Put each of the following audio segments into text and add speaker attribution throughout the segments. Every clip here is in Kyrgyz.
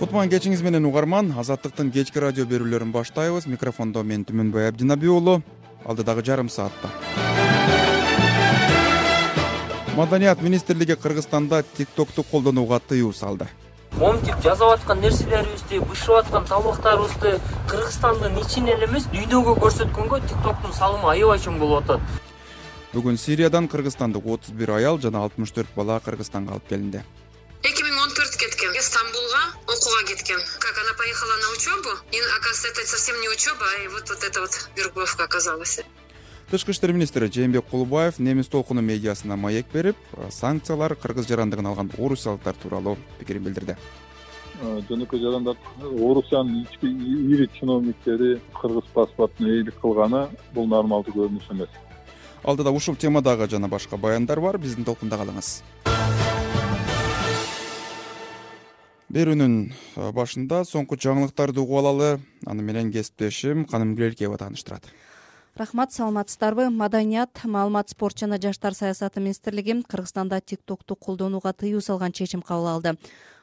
Speaker 1: Кутман кечиңиз менен угарман. Азаттыктын кечки радио берүүлөрүн баштайбыз. Микрофондо мен Түмөнбай Абдинаби уулу. Алдыдагы жарым саатта Маданият министрлиги Кыргызстанда TikTok'ту колдонууга тыюу салды.
Speaker 2: Момтип жазып аткан нерселерибизди, бышып аткан табактарыбызды Кыргызстандын ичинен эле эмес, дүйнөгө көрсөткөнгө TikTok'тун салымы аябай чоң болуп атат.
Speaker 1: Бүгүн Сириядан Кыргызстандык 31 аял жана 64 бала Кыргызстанга алып келинди.
Speaker 3: 2014 кеткен, Стамбулга окууга кеткен. Как она поехала на учебу, и оказывается, это совсем не учеба, а вот это вот вербовка оказалась.
Speaker 1: Тышкы иштер министри Жээнбек Кулубаев немис толкуну медиасына маек берип, санкциялар кыргыз жарандыгын алган орусиялыктар тууралуу пикирин билдирди.
Speaker 4: Жөнөкөй жарандар Орусиянын ички ири чиновниктери кыргыз паспортуна ээлик кылганы бул нормалдуу көрүнүш эмес.
Speaker 1: Алдыда ушул темадагы жана башка баяндар бар, биздин толкунда калыңыз. Берүүнүн башында соңку жаңылыктарды угуп алалы. Аны менен кесиптешим Каным Гүлелкеева тааныштырат.
Speaker 5: Рахмат, саламатсыздарбы? Маданият, маалымат, спорт жана жаштар саясаты министрлиги Кыргызстанда TikTok'ту колдонууга тыюу салган чечим кабыл алды.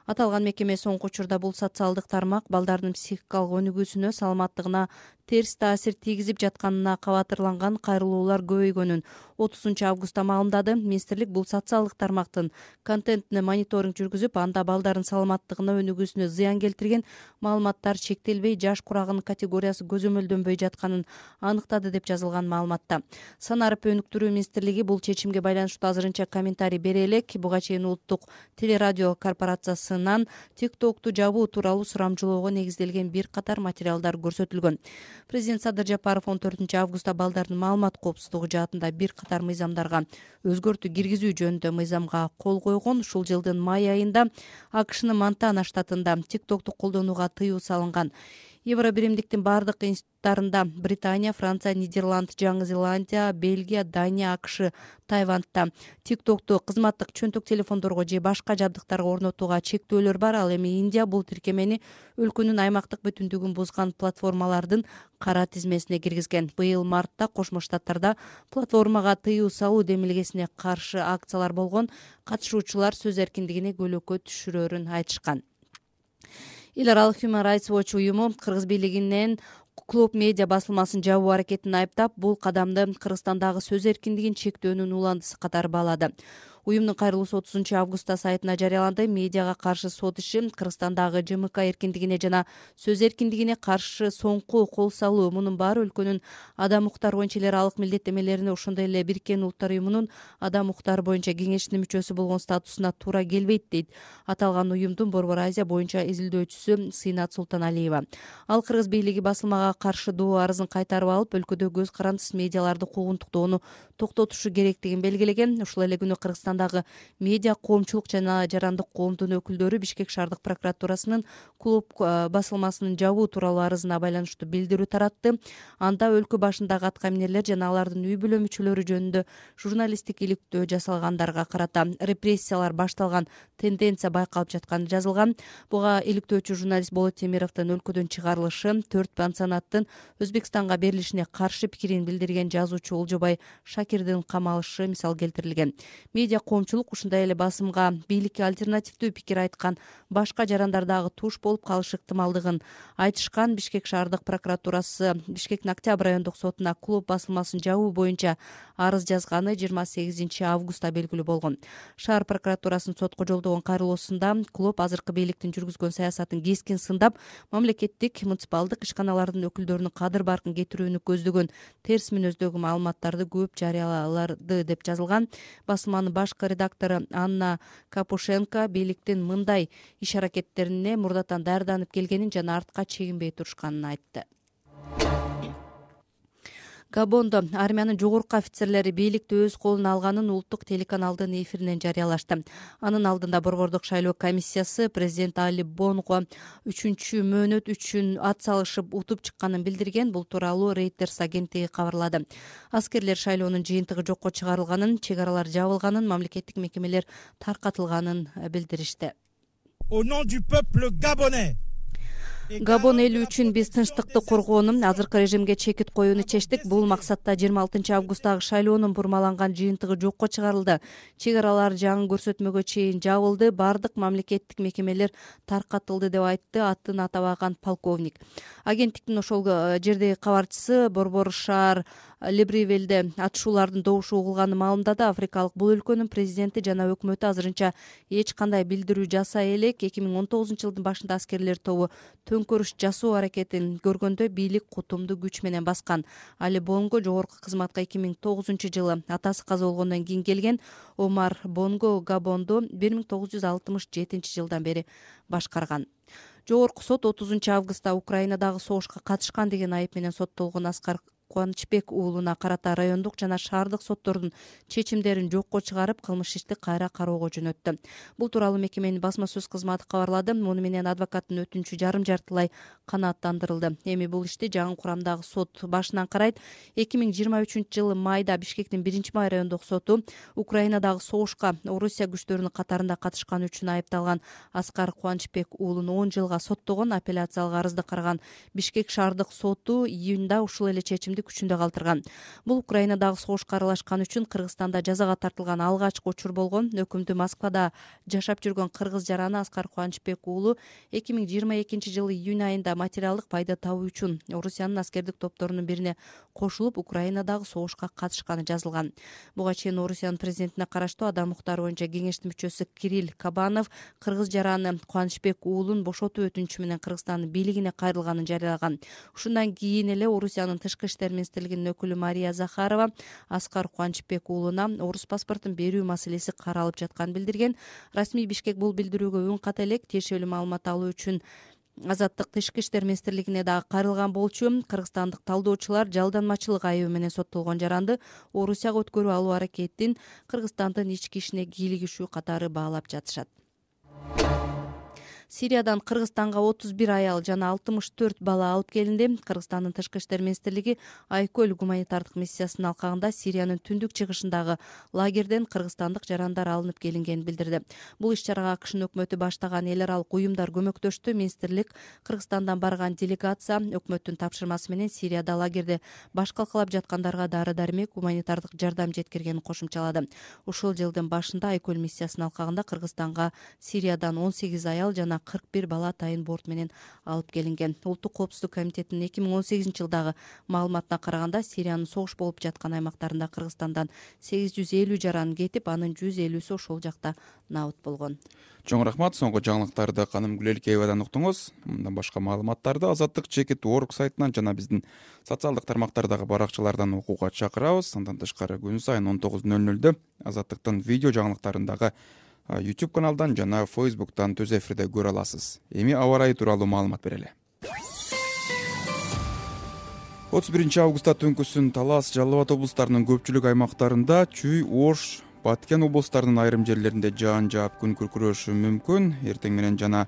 Speaker 5: Аталган мекеме соңку учурда бул социалдык тармак балдардын психикалык өнүгүүсүнө, саламаттыгына терс таасир тийгизип жатканына кабатырланган кайрылуулар көбөйгөнүн 30 августта маалымдады. Министрлик бул социалдык тармактын контентине мониторинг жүргүзүп, анда балдардын саламаттыгына, өнүгүүсүнө зыян келтирген маалыматтар чектелбей, жаш курагынын категориясы көзөмөлдөнбөй жатканын аныктады деп жазылган маалыматта. Санарып өнүктүрүү министрлиги бул чечимге байланыштуу азырынча комментарий бере элек. Буга чейин улуттук телерадио корпорациясынан TikTok'ту жабуу тууралуу сурамжылоого негизделген бир катар материалдар көрсөтүлгөн. Президент Садыр Жапаров 14 августта балдардын маалымат коопсуздугу жаатында бир катар мыйзамдарга өзгөртүү киргизүү жөнүндө мыйзамга кол койгон. Ушул жылдын май айында АКШнын Монтана штатында TikTok'ту колдонууга тыюу салынган. Евро биримдиктин бардык институттарында Британия, Франция, Нидерланд, Жаңы Зеландия, Бельгия, Дания, АКШ, Тайвандта TikTok'ту кызматтык чөнтөк телефондорго же башка жабдыктарга орнотууга чектөөлөр бар. Ал эми Индия бул тиркемени өлкөнүн аймактык бүтүндүгүн бузган платформалардын кара тизмесине киргизген. Быйыл мартта Кошмо Штаттарда платформага тыюу салуу демилгесине каршы акциялар болгон. Катышуучулар сөз эркиндигине көйлөккө түшүрөрүн айтышкан. Эл аралык Human Rights Watch уюму Кыргыз бийлигинен Клуб медиа басылмасын жабуу аракетин айыптап, бул кадамды Кыргызстандагы сөз эркиндигин чектөөнүн уландысы катары баалады. Уюмдун кайрылуусу 30 августта сайтына жарыяланды. Медиага каршы сот иши Кыргызстандагы ЖМК эркиндигине жана сөз эркиндигине каршы соңку кол салуу, мунун баары өлкөнүн адам укуктары боюнча эл аралык милдеттемелерине, ошондой эле Бириккен Улуттар уюмунун адам укуктары боюнча кеңешинин мүчөсү болгон статусуна туура келбейт дейт аталган уюмдун Борбор Азия боюнча изилдөөчүсү Сыйнат Султаналиева. Ал Кыргыз бийлиги басылмага каршы доо арызын кайтарып алып, өлкөдө көз карандысыз медиаларды куугунтуктоону токтотушу керектигин белгилеген. Ушул эле күнү Кыргызстандагы медиа коомчулук жана жарандык коомдун өкүлдөрү Бишкек шаардык прокуратурасынын Клуб басылмасынын жабуу тууралуу арызына байланыштуу билдирүү таратты. Анда өлкө башындагы аткаминерлер жана алардын үй бүлө мүчөлөрү жөнүндө журналисттик иликтөө жасалгандарга карата репрессиялар башталган тенденция байкалып жатканы жазылган. Буга иликтөөчү журналист Болот Темировдун өлкөдөн чыгарылышы, 4 пансионаттын Өзбекстанга берилишине каршы пикирин билдирген жазуучу Олжобай Шакирдин камалышы мисал келтирилген. Медиа коомчулук ушундай эле басымга бийликке альтернативдүү пикир айткан башка жарандар дагы туш болуп калышы ыктымалдыгын айтышкан. Бишкек шаардык прокуратурасы Бишкектин Октябрь райондук сотуна Клуб басылмасын жабуу боюнча арыз жазганы 28 августта белгилүү болгон. Шаар прокуратурасынын сотко жолдогон кайрылуусунда Клуб азыркы бийликтин жүргүзгөн саясатын кескин сындап, мамлекеттик муниципалдык ишканалардын өкүлдөрүнүн кадыр-баркын кетирүүнү көздөгөн терс мүнөздөгү маалыматтарды көп жарыялады деп жазылган. Басылманын башкы редактору Анна Капушенко бийликтин мындай иш аракеттерине мурдатан даярданып келгенин жана артка чегинбей турушканын айтты. Габондо армиянын жогорку офицерлери бийликти өз колуна алганын улуттук телеканалдын эфиринен жарыялашты. Анын алдында борбордук шайлоо комиссиясы президент Али Бонго 3-мөөнөт үчүн ат салышып утуп чыкканын билдирген. Бул тууралуу Reuters агенттиги кабарлады. Аскерлер шайлоонун жыйынтыгы жокко чыгарылганын, чек аралар жабылганын, мамлекеттик мекемелер таркатылганын билдиришти.
Speaker 6: Au nom du peuple gabonais.
Speaker 5: Габон эли үчүн биз тынчтыкты коргоону, азыркы режимге чекит коюуну чечтик. Бул максатта 26-августтагы шайлоонун бурмаланган жыйынтыгы жокко чыгарылды. Чек аралар жаңы көрсөтмөгө чейин жабылды, баардык мамлекеттик мекемелер таркатылды деп айтты атын атабаган полковник. Агенттиктин ошол жердеги кабарчысы Борбор шаар Либревилде атышуулардын добушу угулганын маалымдады. Африкалык бул өлкөнүн президенти жана өкмөтү азырынча эч кандай билдирүү жасай элек. 2019-жылдын башында аскерлер тобу төңкөрүш жасоо аракетин көргөндө бийлик кутумду күч менен баскан. Али Бонго жогорку кызматка 2009-жылы атасы каза болгондон кийин келген. Омар Бонго Габонду 1967-жылдан бери башкарган. Жогорку сот 30-августта Украинадагы согушка катышкан деген айып менен соттолгон Аскар Кубанычбек уулуна карата райондук жана шаардык соттордун чечимдерин жокко чыгарып, кылмыш ишти кайра кароого жөнөттү. Бул тууралуу мекеменин басма сөз кызматы кабарлады. Муну менен адвокаттын өтүнүчү жарым жартылай канааттандырылды. Эми бул ишти жаңы курамдагы сот башынан карайт. 2023-жылы майда Бишкектин 1-май райондук соту Украинадагы согушка Орусия күчтөрүнүн катарында катышканы үчүн айыпталган Аскар Кубанычбек уулун 10 жылга соттогон. Апелляциялык арызды караган Бишкек шаардык соту июнда ушул эле чечимди күчүндө калтырган. Бул Украинадагы согушка аралашкан үчүн Кыргызстанда жазага тартылган алгачкы учур болгон. Өкүмдү Москвада жашап жүргөн кыргыз жараны Аскар Кубанычбек уулу 2022-жылы июнь айында материалдык пайда табуу үчүн Орусиянын аскердик топторунун бирине кошулуп Украинадагы согушка катышканы жазылган. Буга чейин Орусиянын президентине караштуу адам укуктары боюнча кеңештин мүчөсү Кирилл Кабанов кыргыз жараны Кубанычбек уулун бошотуу өтүнүчү менен Кыргызстандын бийлигине кайрылганын жарыялаган. Ушундан кийин эле Орусиянын тышкы иштер министрлигинин өкүлү Мария Захарова Аскар Кубанычбек уулуна орус паспортун берүү маселеси каралып жатканын билдирген. Расмий Бишкек бул билдирүүгө үн ката элек. Тиешелүү маалымат алуу үчүн Азаттык тышкы иштер министрлигине дагы кайрылган болчу. Кыргызстандык талдоочулар жалданмачылык айыбы менен соттолгон жаранды Орусияга өткөрүп алуу аракетин Кыргызстандын ички ишине кийлигишүү катары баалап жатышат. Сириядан Кыргызстанга 31 аял жана 64 бала алып келинди. Кыргызстандын тышкы иштер министрлиги Айкөл гуманитардык миссиясынын алкагында Сириянын түндүк чыгышындагы лагерден кыргызстандык жарандар алынып келингенин билдирди. Бул иш-чарага АКШнын өкмөтү баштаган эл аралык уюмдар көмөктөштү. Министрлик Кыргызстандан барган делегация өкмөттүн тапшырмасы менен Сирияда лагерде баш калкалап жаткандарга дары-дармек, гуманитардык жардам жеткиргенин кошумчалады. Ушул жылдын башында Айкөл миссиясынын алкагында Кыргызстанга Сириядан 18 аял жана 41 бала атайын борт менен алып келинген. Улуттук коопсуздук комитетинин 2018-жылдагы маалыматына караганда Сириянын согуш болуп жаткан аймактарында Кыргызстандан 850 жаран кетип, анын 150-сү ошол жакта набыт болгон.
Speaker 1: Чоң рахмат. Соңку жаңылыктарды Каным Гүлелкеевадан уктуңуз. Мындан башка маалыматтарды Азаттык Чекит.org сайтынан жана биздин социалдык тармактардагы баракчалардан окууга чакырабыз. Андан тышкары күн сайын 19:00 Азаттыктын видео жаңылыктарындагы YouTube каналдан жана Facebook'тан түз эфирде көрө аласыз. Эми аба ырайы тууралуу маалымат берели. 31-августта түнкүсүн Талас, Жалал Абад облустарынын көпчүлүк аймактарында, Чүй, Ош, Баткен облустарынын айрым жерлеринде жаан жаап күн күркүрөшү мүмкүн. Эртең менен жана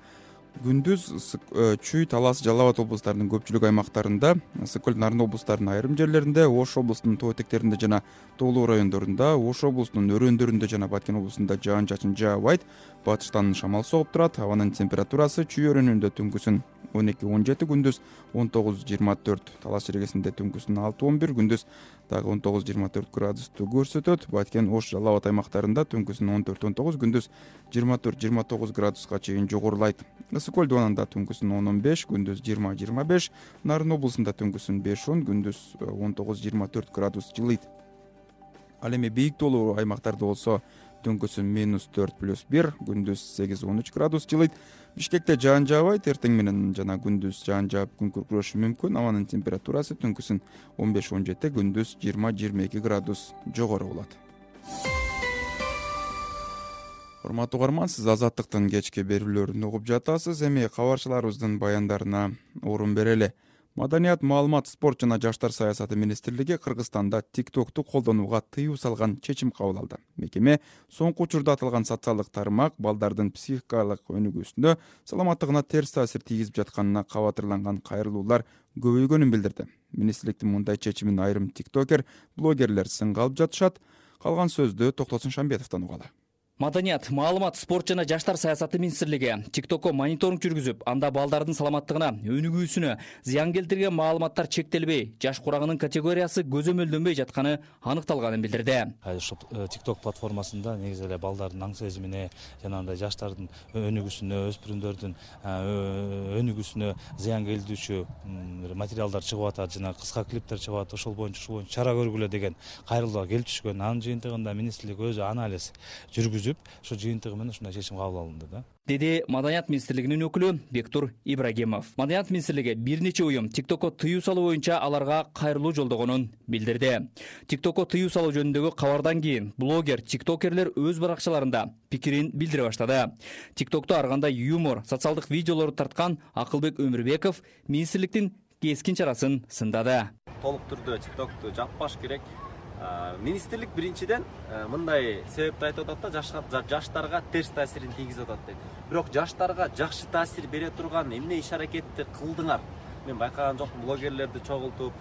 Speaker 1: күндүз Чүй, Талас, Жалал Абад облустарынын көпчүлүк аймактарында, Сыкөл, Нарын облустарынын айрым жерлеринде, Ош облусунун тоо этектеринде жана тоолуу райондорунда, Ош облусунун өрөөндөрүндө жана Баткен облусунда жаан-чачын жаабайт. Батыштан шамал согуп турат. Абанын температурасы Чүй өрөөнүндө түнкүсүн 12-17, күндүз 19-24, Талас жергесинде түнкүсүн 6-11, күндүз дагы 19-24 градусту көрсөтөт. Баткен, Ош, Жалал Абад аймактарында түнкүсүн 14-19, күндүз 24-29 градуска чейин жогорулайт. Ысык-Көл дубанында түнкүсүн 10-15, күндүз 20-25, Нарын облусунда түнкүсүн 5-10, күндүз 19-24 градус жылыйт. Ал эми бийик тоолуу аймактарда болсо түнкүсүн -4+1, күндүз 8-13 градус жылыйт. Бишкекте жаан жаабайт. Эртең менен жана күндүз жаан жаап күн күркүрөшү мүмкүн. Абанын температурасы түнкүсүн 15-17, күндүз 20-22 градус жогору болот. Урматтуу угарман, сиз Азаттыктын кечки берүүлөрүн угуп жатасыз. Эми кабарчыларыбыздын баяндарына орун берели. Маданият, маалымат, спорт жана жаштар саясаты министрлиги Кыргызстанда TikTok'ту колдонууга тыюу салган чечим кабыл алды. Мекеме соңку учурда аталган социалдык тармак балдардын психикалык өнүгүүсүнө, саламаттыгына терс таасир тийгизип жатканына кабатырланган кайрылуулар көбөйгөнүн билдирди. Министрликтин мындай чечимин айрым тиктокер, блогерлер сынга алып жатышат. Калган сөздү Токтосун Шамбетовдон угалы.
Speaker 6: Маданият, маалымат, спорт жана жаштар саясаты министрлиги TikTokко мониторинг жүргүзүп, анда балдардын саламаттыгына, өнүгүүсүнө зыян келтирген маалыматтар чектелбей, жаш курагынын категориясы көзөмөлдөнбөй жатканы аныкталганын билдирди.
Speaker 7: Ошол TikTok платформасында негизи эле балдардын аң сезимине жана андай жаштардын өнүгүүсүнө, өспүрүмдөрдүн өнүгүүсүнө зыян келтирүүчү материалдар чыгып атат жана кыска клиптер чыгып атат. Ошол боюнча чара көргүлө деген кайрылууга келип түшкөн. Анын жыйынтыгында министрлик өзү анализ жүргүзүп, ошо жыйынтыгы менен ушундай чечим кабыл алынды да.
Speaker 6: Деди Маданият министрлигинин өкүлү Бектур Ибрагимов. Маданият министрлиги бир нече уюм TikTokко тыюу салуу боюнча аларга кайрылуу жолдогонун билдирди. TikTokко тыюу салуу жөнүндөгү кабардан кийин блогер, тиктокерлер өз баракчаларында пикирин билдире баштады. TikTokто ар кандай юмор, социалдык видеолорду тарткан Акылбек Өмүрбеков министрликтин кескин чарасын сындады.
Speaker 8: Толук түрдө TikTokду жаппаш керек. Министрлик биринчиден мындай себепти айтып атат да, жаштарга терс таасирин тийгизип атат дейт. Бирок жаштарга жакшы таасир бере турган эмне иш-аракетти кылдыңар? Мен байкаган жокмун, блогерлерди чогултуп,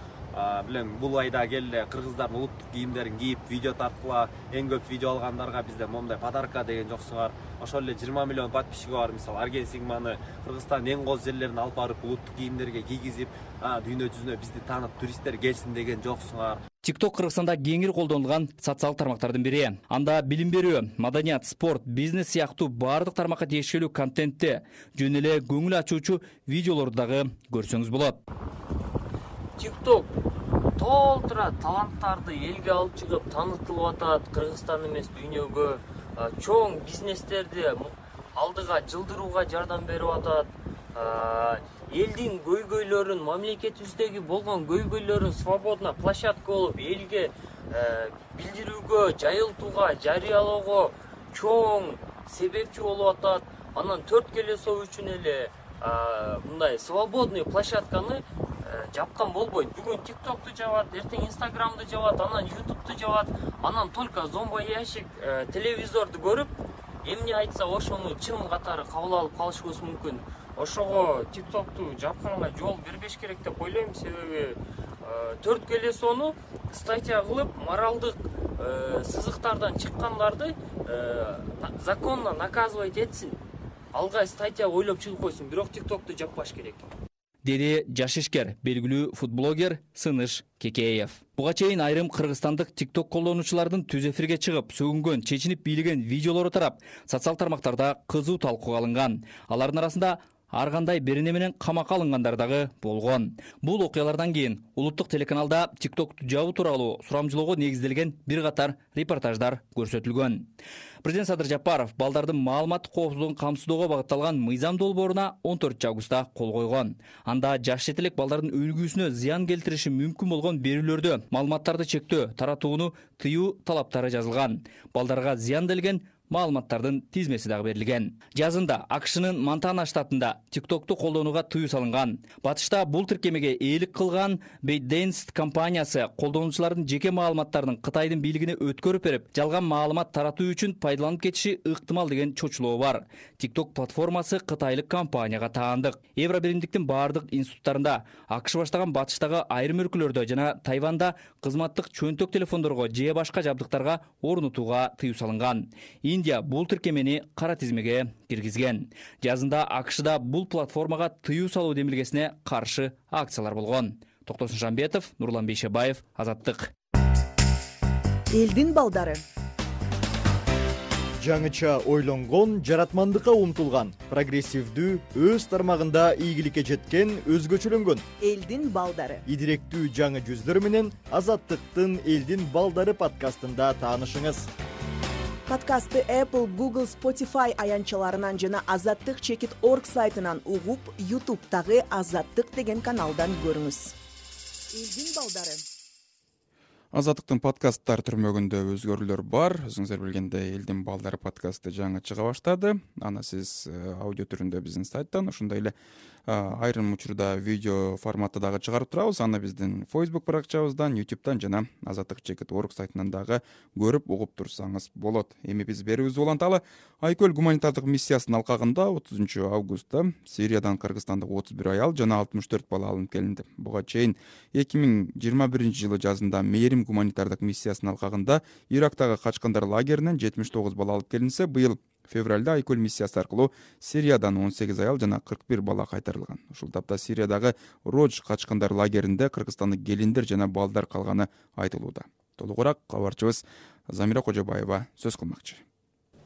Speaker 8: билем бул айда келе кыргыздардын улуттук кийимдерин кийип видео тарткыла, эң көп видео алгандарга бизде момундай подарка деген жоксуңар. Ошол эле 20 миллион подписчиги бар, мисалы Арген Сигманы Кыргызстандын эң кооз жерлерине алып барып улуттук кийимдерге кийгизип, дүйнө жүзүнө бизди таанып туристтер келсин деген жоксуңар.
Speaker 6: TikTok Кыргызстанда кеңири колдонулган социал тармактардын бири. Анда билим берүү, маданият, спорт, бизнес сыяктуу баардык тармакка тиешелүү контентти, жөн эле көңүл ачуучу видеолорду дагы көрсөңүз болот.
Speaker 2: TikTok толтура таланттарды элге алып чыгып таанытылып атат. Кыргызстан эмес дүйнөгө чоң бизнестерди алдыга жылдырууга жардам берип атат. Элдин көйгөйлөрүн, мамлекетибиздеги болгон көйгөйлөрүн свободно площадка болуп элге билдирүүгө, жайылтууга, жарыялоого чоң себепчи болуп атат. Анан төрт келесоо үчүн эле мындай свободный площадканы жапкан болбойт. Бүгүн TikTok'ту жабат, эртең Instagram'ды жабат, анан YouTube'ду жабат. Анан только зомбоящик телевизорду көрүп, эмне айтса ошону чын катары кабыл алып калышыбыз мүмкүн. Ошого TikTok'ту жапканга жол бербеш керек деп ойлойм, себеби төрт келесоону статья кылып, моралдык сызыктардан чыккандарды законно наказывать этсин. Алга статья ойлоп чыгып койсун, бирок TikTok'ту жаппаш керек.
Speaker 6: Деди жаш ишкер, белгилүү футблогер Сыныш Кекеев. Буга чейин айрым кыргызстандык TikTok колдонуучулардын түз эфирге чыгып, сөгүнгөн, чечинип бийлеген видеолору тарап, социал тармактарда кызуу талкууга алынган. Алардын арасында ар кандай берене менен камакка алынгандар дагы болгон. Бул окуялардан кийин улуттук телеканалда TikTok'ту жабуу тууралуу сурамжылоого негизделген бир катар репортаждар көрсөтүлгөн. Президент Садыр Жапаров балдардын маалымат коопсуздугун камсыздоого багытталган мыйзам долборуна 14 августта кол койгон. Анда жаш жетелек балдардын өлгүүсүнө зыян келтириши мүмкүн болгон берүүлөрдү, маалыматтарды чектөө, таратууну тыюу талаптары жазылган. Балдарга зыян келген маалыматтардын тизмеси дагы берилген. Жазында АКШнын Монтана штатында TikTok'ту колдонууга тыюу салынган. Батышта бул тиркемеге ээлик кылган ByteDance компаниясы колдонуучулардын жеке маалыматтарын Кытайдын бийлигине өткөрүп берип, жалган маалымат таратуу үчүн пайдаланып кетиши ыктымал деген чочулоо бар. TikTok платформасы кытайлык компанияга таандык. Евробиримдиктин баардык институттарында, АКШ баштаган батыштагы айрым өлкөлөрдө жана Тайванда кызматтык чөнтөк телефондорго же башка жабдыктарга орнотууга тыюу салынган. Индия бул тиркемени кара тизмеге киргизген. Жазында АКШда бул платформага тыюу салуу демилгесине каршы акциялар болгон. Токтосун Жамбетов, Нурлан Бейшебаев, Азаттык.
Speaker 9: Элдин балдары. Жаңыча ойлонгон, жаратмандыкка умтулган, прогрессивдүү, өз тармагында ийгиликке жеткен, өзгөчөлөнгөн элдин балдары. Идиректүү жаңы жүздөр менен Азаттыктын Элдин балдары подкастында таанышыңыз. Подкастты Apple, Google, Spotify аянтчаларынан жана azattik.org сайтынан угуп, YouTube'дагы Азаттык деген каналдан көрүңүз. Элдин балдары.
Speaker 1: Азаттыктын подкасттар түрмөгүндө өзгөрүүлөр бар. Өзүңүздөр билгендей, Элдин балдары подкасты жаңы чыга баштады. Аны сиз аудио түрүндө биздин сайттан, ошондой эле айрым учурда видео форматта дагы чыгарып турабыз. Аны биздин Facebook баракчабыздан, YouTube'дан жана azattik.org сайтынан дагы көрүп угуп турсаңыз болот. Эми биз берүүбүздү уланталы. Айкөл гуманитардык миссиясынын алкагында 30 августта Сириядан Кыргызстандык 31 аял жана 64 бала алынып келинди. Буга чейин 2021 жылы жазында Мээрим гуманитардык миссиясынын алкагында Ирактагы качкандар лагеринен 79 бала алып келинсе, быйыл февралда Айкөл миссиясы аркылуу Сириядан 18 аял жана 41 бала кайтарылган. Ушул тапта Сириядагы Родж качкандар лагеринде кыргызстандык келиндер жана балдар калганы айтылууда. Толугураак кабарчыбыз Замира Кожобаева сөз кылмакчы.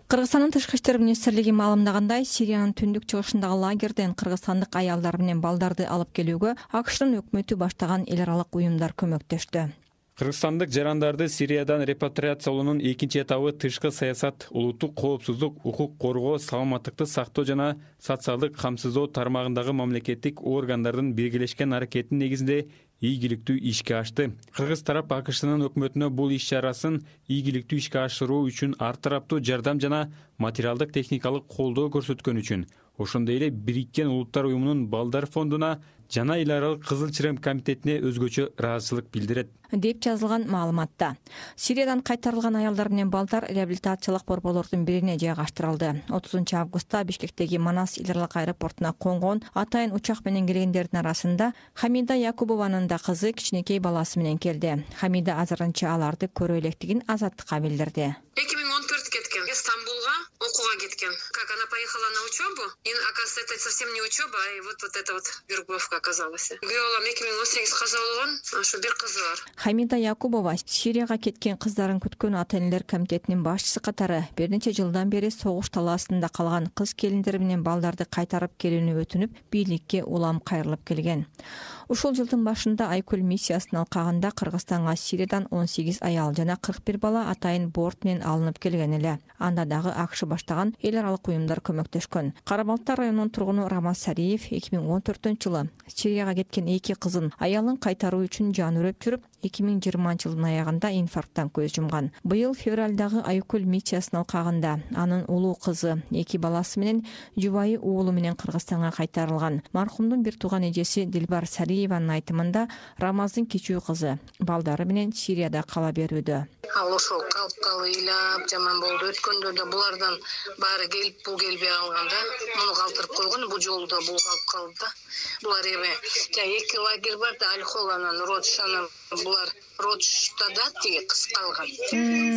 Speaker 10: Кыргызстандын тышкы иштер министрлиги маалымдагандай, Сириянын түндүк чыгышындагы лагерден кыргызстандык аялдар менен балдарды алып келүүгө АКШнын өкмөтү баштаган эл аралык уюмдар көмөктөштү.
Speaker 11: Кыргызстандык жарандарды Сириядан репатриациялоонун экинчи этабы тышкы саясат, улуттук коопсуздук, укук коргоо, саламаттыкты сактоо жана социалдык камсыздоо тармагындагы мамлекеттик органдардын биргелешкен аракетинин негизинде ийгиликтүү ишке ашты. Кыргыз тарап АКШнын өкмөтүнө бул иш чарасын ийгиликтүү ишке ашыруу үчүн ар тараптуу жардам жана материалдык техникалык колдоо көрсөткөн үчүн, ошондой эле Бириккен Улуттар уюмунун балдар фондуна жана эл аралык Кызыл Чырем комитетине өзгөчө ыраазычылык билдирет
Speaker 10: деп жазылган маалыматта. Сириядан кайтарылган аялдар менен балдар реабилитациялык борборлордун бирине жайгаштырылды. 30 августта Бишкектеги Манас эл аралык аэропортуна конгон атайын учак менен келгендердин арасында Хамида Якубованын да кызы кичинекей баласы менен келди. Хамида азырынча аларды көрө электигин Азаттыкка билдирди.
Speaker 3: 2014 кеткен, Стамбулга окууга кеткен. Как она поехала на учебу, и оказывается, это совсем не учеба, а вот это вот вербовка оказалась. Күйөөм 2018 каза болгон, ошо бир кызы бар.
Speaker 10: Хамида Якубова Сирияга кеткен кыздарын күткөн ата-энелер комитетинин башчысы катары бир нече жылдан бери согуш талаасында калган кыз келиндер менен балдарды кайтарып келүүнү өтүнүп, бийликке улам кайрылып келген. Ушул жылдын башында Айкөл миссиясынын алкагында Кыргызстанга Сириядан 18 аял жана 41 бала атайын борт менен алынып келген эле. Анда дагы АКШ баштаган эл аралык уюмдар көмөктөшкөн. Карабалта районунун тургуну Рамаз Сариев 2014-жылы Сирияга кеткен 2 кызын аялын кайтаруу үчүн жан үрөп жүрүп, 2020-жылдын аягында инфаркттан көз жумган. Быйыл февралдагы Айкөл миссиясынын алкагында анын улуу кызы 2 баласы менен жубайы уулу менен Кыргызстанга кайтарылган. Мархумдун бир тууган эжеси Дилбар Сариеванын айтымында Рамаздын кичүү кызы балдары менен Сирияда кала берүүдө.
Speaker 3: Ал ошол калып ыйлап жаман болду. Өткөндө да булардан баары келип, бул келбей калганда, муну калтырып койгон, бул жолу да бул калып калды да. Булар эми 2 лагерь бар да, Алхол анан Родж, анан булар Роджда да тиги кыз калган.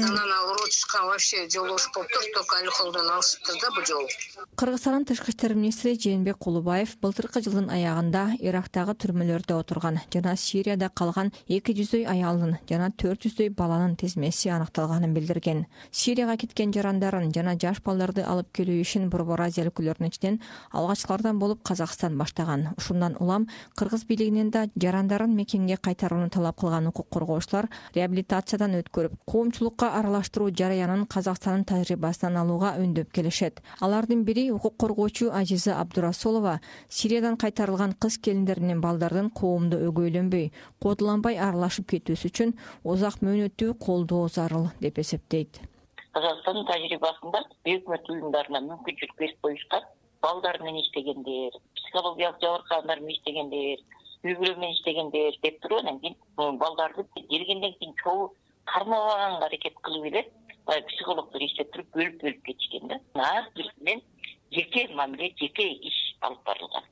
Speaker 3: Анан ал Роджга вообще жолдош болуптур, только Алхолдон алышыптыр да бул жолу.
Speaker 10: Кыргызстандын тышкы иштер министри Жээнбек Кулубаев былтыркы жылдын аягында Ирактагы түрмөлөрдө отурган жана Сирияда калган 200дөй аялдын жана 400дөй баланын тизмеси аныкталганын билдирген. Сирияга кеткен жарандарын жана жаш балдарды алып келүү ишин Борбор Азия өлкөлөрүнүн ичинен алгачкылардан болуп Казакстан баштаган. Ушундан улам Кыргыз бийлигинен да жарандарын мекенге кайтарууну талап кылган укук коргоочулар реабилитациядан өткөрүп, коомчулукка аралаштыруу жараянын Казакстандын тажрыйбасынан алууга үндөп келишет. Алардын бири укук коргоочу Азиза Абдурасулова Сириядан кайтарылган кыз келиндер менен балдардын коомдо өгөйлөнбөй, кодуланбай аралашып кетүүсү үчүн узак мөөнөттүү колдоо зарыл деп эсептейт.
Speaker 12: Казакстандын тажрыйбасында өкмөт уюмдарына мүмкүнчүлүк берип коюшкан, балдар менен иштегендер, психологиялык жабыркагандар менен иштегендер, үй бүлө менен иштегендер деп туруп, анан кийин балдарды келгенден кийин чогуу кармабаганга аракет кылып эле баягы психологдор иштеп туруп бөлүп кетишкен да. Ар биринен жеке мамиле, жеке иш алып барылган.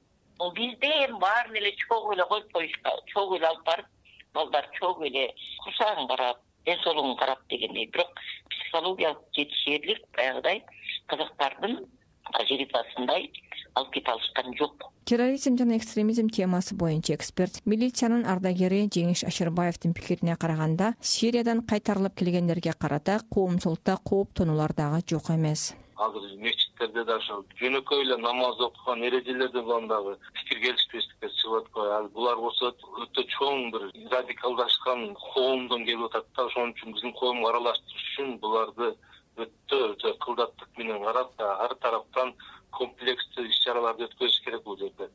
Speaker 12: Бизде эми баарын эле чогуу эле коюп коюшка, чогуу эле алып барып, балдар чогуу эле курсагын карап, ден соолугун карап дегендей. Бирок психологиялык жетишерлик баягыдай казактардын тажрыйбасындай алып кете алышкан жок.
Speaker 10: Терроризм жана экстремизм темасы боюнча эксперт, милициянын ардагери Жеңиш Ашырбаевдин пикирине караганда, Сириядан кайтарылып келгендерге карата коомчулукта кооптонуулар дагы жок эмес.
Speaker 13: Азыр мечиттерде да ошо жөнөкөй эле намаз окуган эрежелерден улам дагы пикир келишпестиктер чыгып аткан. Ал булар болсо өтө чоң бир радикалдашкан коомдон келип атат да. Ошон үчүн биздин коомго аралаштырыш үчүн буларды өтө кылдаттык менен карап, ар тараптан комплекстүү иш-чараларды өткөзүш керек бул жерде.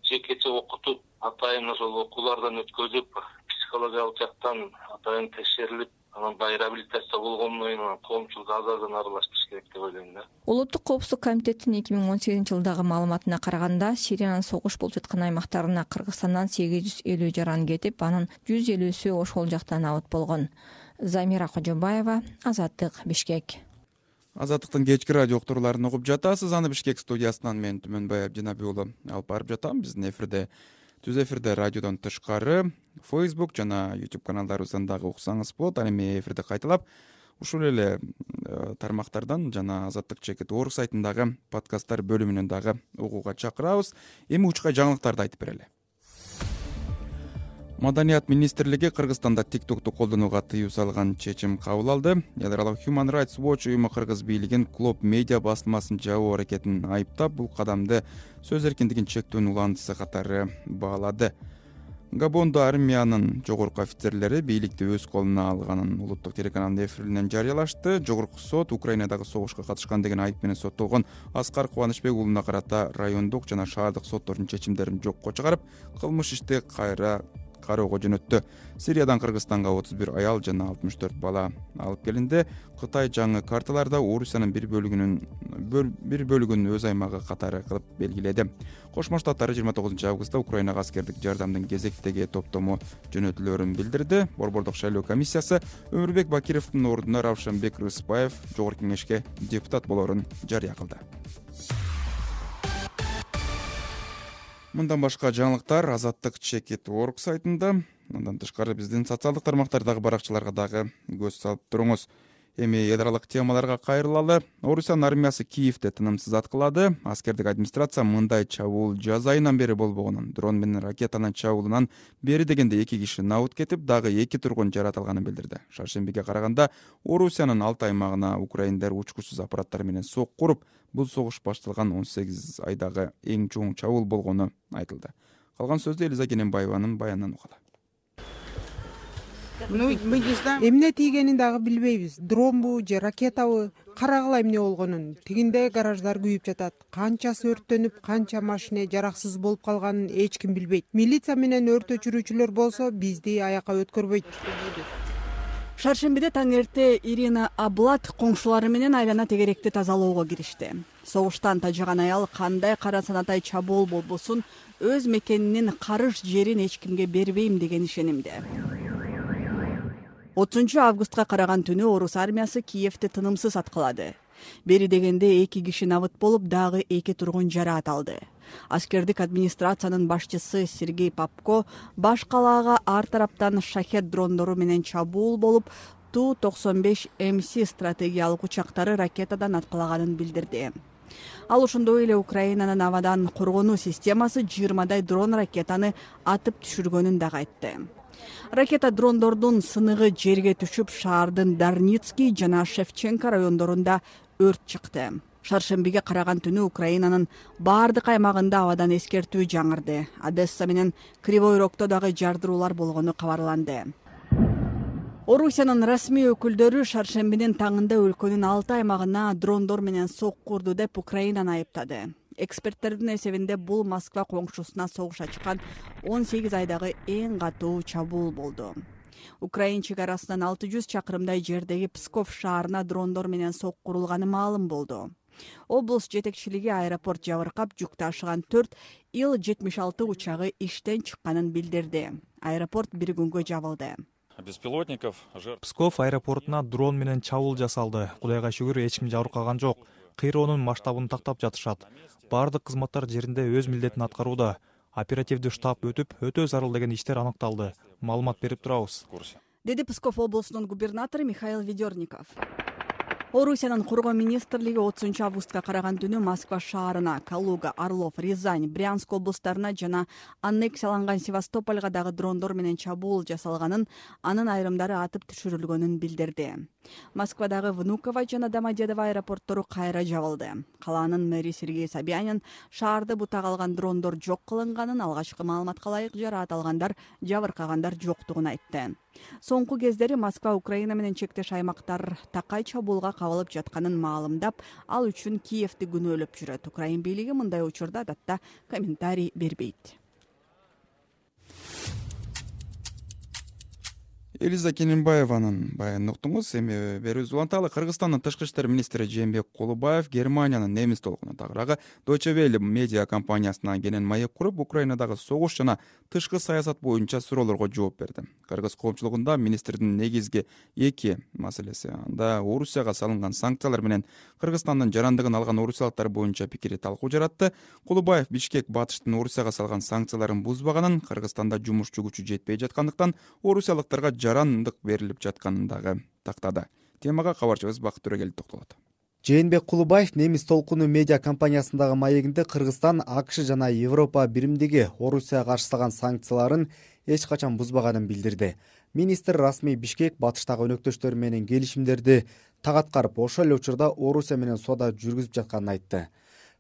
Speaker 13: Жекече окутуп, атайын ошол окуулардан өткөзүп, психологиялык жактан атайын текшерилип, анан баягы реабилитация болгондон кийин анан коомчулукка азырдан аралаштырыш керек деп ойлойм да.
Speaker 10: Улуттук коопсуздук комитетинин 2018-жылдагы маалыматына караганда, Сириянын согуш болуп жаткан аймактарына Кыргызстандан 850 жаран кетип, анын 150сү ошол жактан абыт болгон. Замира Кожобаева, Азаттык, Бишкек.
Speaker 1: Азаттыктын кечки радио уктурууларын угуп жатасыз. Аны Бишкек студиясынан мен Түмөнбай Абдинаби уулу алып барып жатам. Биздин түз эфирде радиодон тышкары Facebook жана YouTube каналдарыбыздан дагы уксаңыз болот. Аны эми эфирде кайталап ушул эле тармактардан жана Азаттык Чекит.org сайтындагы подкасттар бөлүмүнөн дагы угууга чакырабыз. Эми учка жаңылыктарды айтып берели. Маданият министрлиги Кыргызстанда TikTok'ту колдонууга тыюу салган чечим кабыл алды. Эл аралык Human Rights Watch уюму кыргыз бийлигин Клоп медиа басылмасын жабуу аракетин айыптап, бул кадамды сөз эркиндигин чектөөнүн уландысы катары баалады. Габондо армиянын жогорку офицерлери бийликти өз колуна алганын улуттук телеканалдын эфиринен жарыялашты. Жогорку сот Украинадагы согушка катышкан деген айып менен соттолгон Аскар Кубанычбек уулуна карата райондук жана шаардык соттордун чечимдерин жокко чыгарып, кылмыш ишти кайра кароого жөнөттү. Сириядан Кыргызстанга 31 аял жана 64 бала алып келинди. Кытай жаңы карталарда Орусиянын бир бөлүгүн өз аймагы катары кылып белгиледи. Кошмо Штаттары 29 августта Украинага аскердик жардамдын кезектеги топтому жөнөтүлөрүн билдирди. Борбордук шайлоо комиссиясы Өмүрбек Бакировдун ордуна Равшанбек Рыспаев жогорку кеңешке депутат болоорун жарыя кылды. Мындан башка жаңылыктар Азаттык Чекит.org сайтында. Андан тышкары биздин социалдык тармактардагы баракчаларга дагы көз салып туруңуз. Эми эл аралык темаларга кайрылалы. Орусиянын армиясы Киевде тынымсыз аткылады. Аскердик администрация мындай чабуул жаз айынан бери болбогонун, дрон менен ракетанын чабуулунан бери дегенде 2 киши набыт кетип, дагы 2 тургун жаратылганын билдирди. Шаршембиге караганда Орусиянын 6 аймагына украиндер учкучсуз аппараттар менен сок куруп, бул согуш башталган 18 айдагы эң чоң чабуул болгону айтылды. Калган сөздү Элиза Кененбаеванын баянынан угалы.
Speaker 14: Эмне тийгенин дагы билбейбиз. Дронбу же ракетабы, карагыла эмне болгонун. Тигинде гараждар күйүп жатат. Канчасы өрттөнүп, канча машина жараксыз болуп калганын эч ким билбейт. Милиция менен өрт өчүрүүчүлөр болсо бизди аякка өткөрбөйт.
Speaker 15: Шаршембиде таң эрте Ирина Аблат коңшулары менен айлана тегеректи тазалоого киришти. Согуштан тажаган аял кандай кара санатай чабуул болбосун, өз мекенинин карыш жерин эч кимге бербейм деген ишенимде. 30 августка караган түнү Орус армиясы Киевди тынымсыз аткылады. Бери дегенде 2 киши набыт болуп, дагы 2 тургун жараат алды. Аскердик администрациянын башчысы Сергей Попко баш калаага ар тараптан шахет дрондору менен чабуул болуп, Ту-95МС стратегиялык учактары ракетадан аткылаганын билдирди. Ал ошондой эле Украинанын абадан коргонуу системасы 20дай дрон ракетаны атып түшүргөнүн дагы айтты. Ракета дрондордун сыныгы жерге түшүп, шаардын Дарницкий жана Шевченко райондорунда өрт чыкты. Шаршембиге караган түнү Украинанын бардык аймагында абадан эскертүү жаңырды. Одесса менен Кривой Рогдо дагы жардыруулар болгону кабарланды. Орусиянын расмий өкүлдөрү шаршембинин таңында өлкөнүн 6 аймагына дрондор менен сок курду деп Украинаны айыптады. Эксперттердин эсебинде бул Москва коңшусуна согуш ачкан 18 айдагы эң катуу чабуул болду. Украин чек арасынан 600 чакырымдай жердеги Псков шаарына дрондор менен сок курулганы маалым болду. Облус жетекчилиги аэропорт жабыркап, жүк ташыган 4 Ил-76 учагы иштен чыкканын билдирди. Аэропорт бир күнгө жабылды.
Speaker 16: Псков аэропортуна дрон менен чабуул жасалды. Кудайга шүгүр, эч ким жабыркаган жок. Кыйроонун масштабын тактап жатышат. Бардык кызматтар жеринде өз милдетин аткарууда. Оперативдүү штаб өтүп, өтө зарыл деген иштер аныкталды. Маалымат берип турабыз.
Speaker 15: Деди Псков облусунун губернатору Михаил Ведерников. Орусиянын Коргоо министрлиги 30 августка караган түнү Москва шаарына, Калуга, Орлов, Рязань, Брянск облустарына жана аннексияланган Севастопольга дагы дрондор менен чабуул жасалганын, анын айрымдары атып түшүрүлгөнүн билдирди. Москвадагы Внуково жана Домодедово аэропорттору кайра жабылды. Калаанын мэри Сергей Собянин шаарды бутак алган дрондор жок кылынганын, алгачкы маалыматка ылайык жараат алгандар, жабыркагандар жоктугун айтты. Соңку кездери Москва Украина менен чектеш аймактар такай чабуулга кабылып жатканын маалымдап, ал үчүн Киевди күнөөлөп жүрөт. Украин бийлиги мындай учурда адатта комментарий бербейт.
Speaker 1: Элиза Кененбаеванын баянын уктуңуз. Эми берүүбүздү уланталы. Кыргызстандын тышкы иштер министри Жээнбек Кулубаев Германиянын немис толкуна тагыраагы Deutsche Welle медиа компаниясына кенен маек куруп, Украинадагы согуш жана тышкы саясат боюнча суроолорго жооп берди. Кыргыз коомчулугунда министрдин негизги эки маселеси, анда Орусияга салынган санкциялар менен Кыргызстандын жарандыгын алган орусиялыктар боюнча пикири талкуу жаратты. Кулубаев Бишкек Батыштын Орусияга салган санкцияларын бузбаганын, Кыргызстанда жумушчу күчү жетпей жаткандыктан орусиялыктарга жарандык берилип жатканын дагы тактады. Темага кабарчыбыз Бакыт Төрөгелди токтолот.
Speaker 17: Жээнбек Кулубаев немис толкуну медиа компаниясындагы маегинде Кыргызстан, АКШ жана Европа биримдиги Орусияга каршы салган санкцияларын эч качан бузбаганын билдирди. Министр расмий Бишкек Батыштагы өнөктөштөрү менен келишимдерди так аткарып, ошол эле учурда Орусия менен соода жүргүзүп жатканын айтты.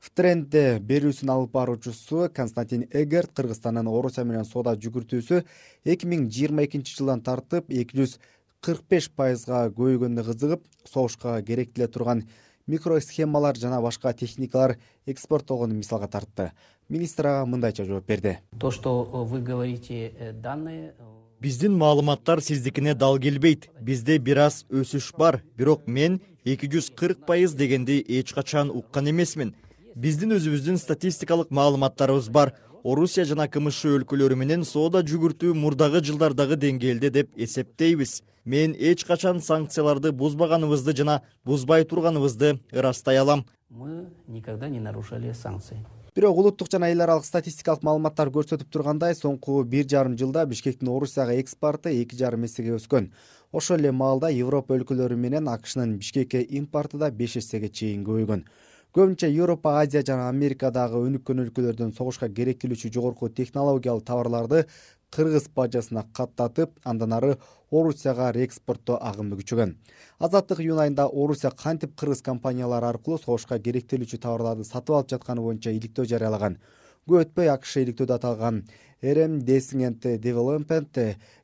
Speaker 17: В трендде берүүсүн алып баруучусу Константин Эгерт Кыргызстандын Орусия менен соода жүгүртүүсү 2022 жылдан тартып 245%га көбөйгөнүнө кызыгып, согушка керектеле турган микросхемалар жана башка техникалар экспорттолгонун мисалга тартты. Министр ага мындайча жооп берди.
Speaker 18: То, что вы говорите, данные...
Speaker 9: Биздин маалыматтар сиздикине дал келбейт. Бизде бир аз өсүш бар, бирок мен 240% дегенди эч качан уккан эмесмин. Биздин өзүбүздүн статистикалык маалыматтарыбыз бар. Орусия жана КМШ өлкөлөрү менен соода жүгүртүү мурдагы жылдардагы деңгээлде деп эсептейбиз. Мен эч качан санкцияларды бузбаганыбызды жана бузбай турганыбызды ырастай алам.
Speaker 18: Мы никогда не нарушали санкции.
Speaker 17: Бирок улуттук жана эл аралык статистикалык маалыматтар көрсөтүп тургандай, соңку 1,5 жылда Бишкектин Орусияга экспорту 2,5 эсеге өскөн. Ошол эле маалда Европа өлкөлөрү менен АКШнын Бишкекке импорту да 5 эсеге чейин көбөйгөн. Көбүнчө Европа, Азия жана Америкадагы өнүккөн өлкөлөрдөн согушка керектелүүчү жогорку технологиялык товарларды кыргыз бажасына каттатып, андан ары Орусияга реэкспорттоо агымы күчөгөн. Азаттык июнь айында Орусия кантип кыргыз компаниялары аркылуу согушка керектелүүчү товарларды сатып алып жатканы боюнча иликтөө жарыялаган. Көп өтпөй АКШ иликтөөдө аталган RM Descent Development,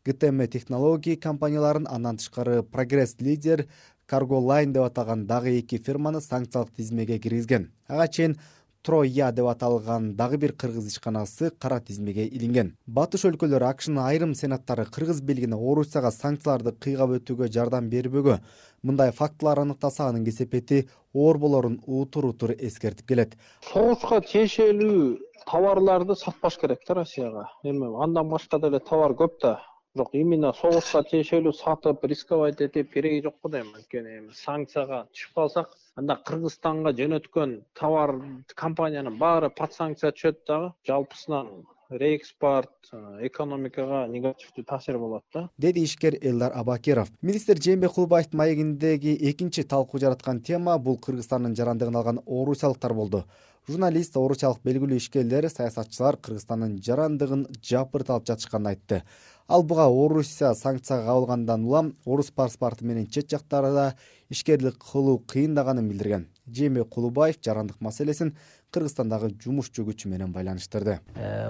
Speaker 17: GTM Technology компанияларын, андан тышкары Progress Leader, Cargo Line деп аталган дагы эки фирманы санкциялык тизмеге киргизген. Ага чейин Троя деп аталган дагы бир кыргыз ишканасы кара тизмеге илинген. Батыш өлкөлөрү АКШнын айрым сенаттары кыргыз бийлигине Орусияга санкцияларды кыйгап өтүүгө жардам бербөгө, мындай фактылар аныктаса анын кесепети оор болорун утур эскертип келет.
Speaker 19: Согушка тиешелүү товарларды сатпаш керек да Россияга. Эми андан башка деле товар көп да. Бирок именно согушка тиешелүү сатып, рисковать этип кереги жок го дейм. Анткени санкцияга түшүп калсак, анда Кыргызстанга жөнөткөн товар компаниянын баары под санкция түшөт дагы. Жалпысынан реэкспорт экономикага негативдүү таасир болот да,
Speaker 17: деди ишкер Элдар Абакиров. Министр Жээнбек Кулубаевдин маегиндеги экинчи талкуу жараткан тема бул Кыргызстандын жарандыгын алган орусиялыктар болду. Журналист, орусиялык белгилүү ишкерлер, саясатчылар Кыргызстандын жарандыгын жапырт алып жатышканын айтты. Ал буга Орусия санкцияга кабылгандан улам орус паспорту менен чет жактарда ишкерлик кылуу кыйындаганын билдирген. Жээнбек Кулубаев жарандык маселесин Кыргызстандагы жумушчу күчү менен байланыштырды.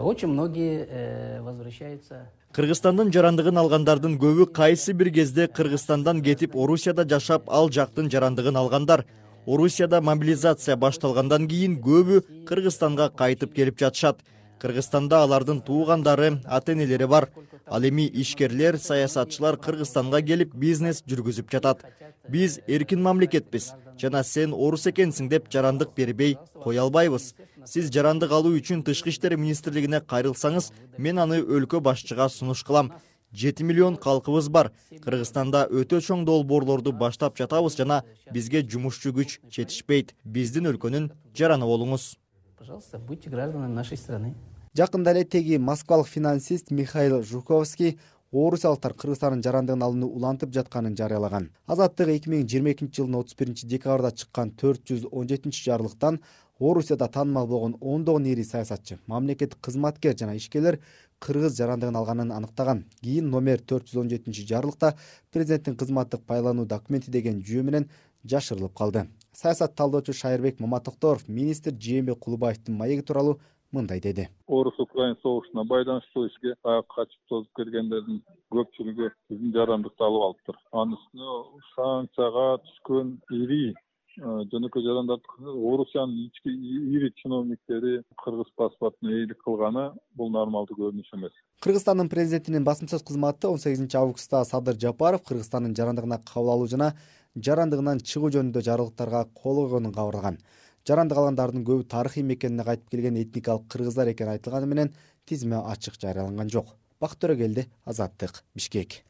Speaker 18: Очень многие возвращаются.
Speaker 9: Кыргызстандын жарандыгын алгандардын көбү кайсы бир кезде Кыргызстандан кетип Орусияда жашап, ал жактын жарандыгын алгандар. Орусияда мобилизация башталгандан кийин көбү Кыргызстанга кайтып келип жатышат. Кыргызстанда алардын туугандары, ата-энелери бар. Ал эми ишкерлер, саясатчылар Кыргызстанга келип бизнес жүргүзүп жатат. Биз эркин мамлекетпиз жана сен орус экенсиң деп жарандык бербей кое албайбыз. Сиз жарандык алуу үчүн Тышкы иштер министрлигине кайрылсаңыз, мен аны өлкө башчыга сунуш кылам. 7 миллион калкыбыз бар. Кыргызстанда өтө чоң долбоорлорду баштап жатабыз жана бизге жумушчу күч жетишпейт. Биздин өлкөнүн жараны болуңуз.
Speaker 18: Пожалуйста, будьте гражданами нашей страны.
Speaker 17: Жакында эле теги москвалык финансист Михаил Жуковский орусиялыктар Кыргызстандын жарандыгын алууну улантып жатканын жарыялаган. Азаттык 2022 жылдын 31 декабрда чыккан 417 жарлыктан Орусияда таанымал болгон ондогон ири саясатчы, мамлекеттик кызматкер жана ишкерлер кыргыз жарандыгын алганын аныктаган. Кийин номер 417 жарлыкта президенттин кызматтык байлануу документи деген жүйө менен жашырылып калды. Саясат талдоочу Шайырбек Маматокторов министр Жээнбек Кулубаевдин маеги тууралуу мындай деди.
Speaker 4: Орус-Украин согушуна байланыштуу ишке качып тозуп келгендердин көпчүлүгү биздин жарандыкты алып алыптыр. Анын үстүнө санкцияга түшкөн ири жөнөкөй жарандарды Орусиянын ички ири чиновниктери кыргыз паспортуна ээлик кылганы бул нормалдуу көрүнүш эмес.
Speaker 17: Кыргызстандын президентинин басма сөз кызматы 18-августта Садыр Жапаров Кыргызстандын жарандыгына кабыл алуу жана жарандыгынан чыгуу жөнүндө жарлыктарга кол койгонун кабарлаган. Жарандык алгандардын көбү тарыхый мекенине кайтып келген этникалык кыргыздар экени айтылганы менен тизме ачык жарыяланган жок. Бакыт Төрөгелди, Азаттык, Бишкек.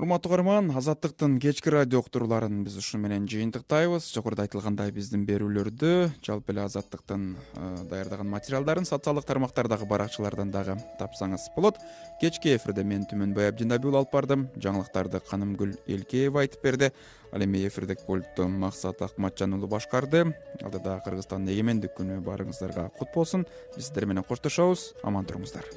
Speaker 1: Урматтуу көрөрман, Азаттыктын кечки радио уктурууларын биз ушу менен жыйынтыктайбыз. Жогоруда айтылгандай биздин берүүлөрдү, жалпы эле Азаттыктын даярдаган материалдарын социалдык тармактардагы баракчалардан дагы тапсаңыз болот. Кечки эфирде мен Түмөнбай Абдинабиул алып бардым. Жаңылыктарды Канымгүл Элкеева айтып берди. Ал эми эфирдик пультту Максат Акматжан уулу башкарды. Алдыда Кыргызстандын эгемендик күнү баарыңыздарга кут болсун. Биз сиздер менен коштошобуз. Аман туруңуздар.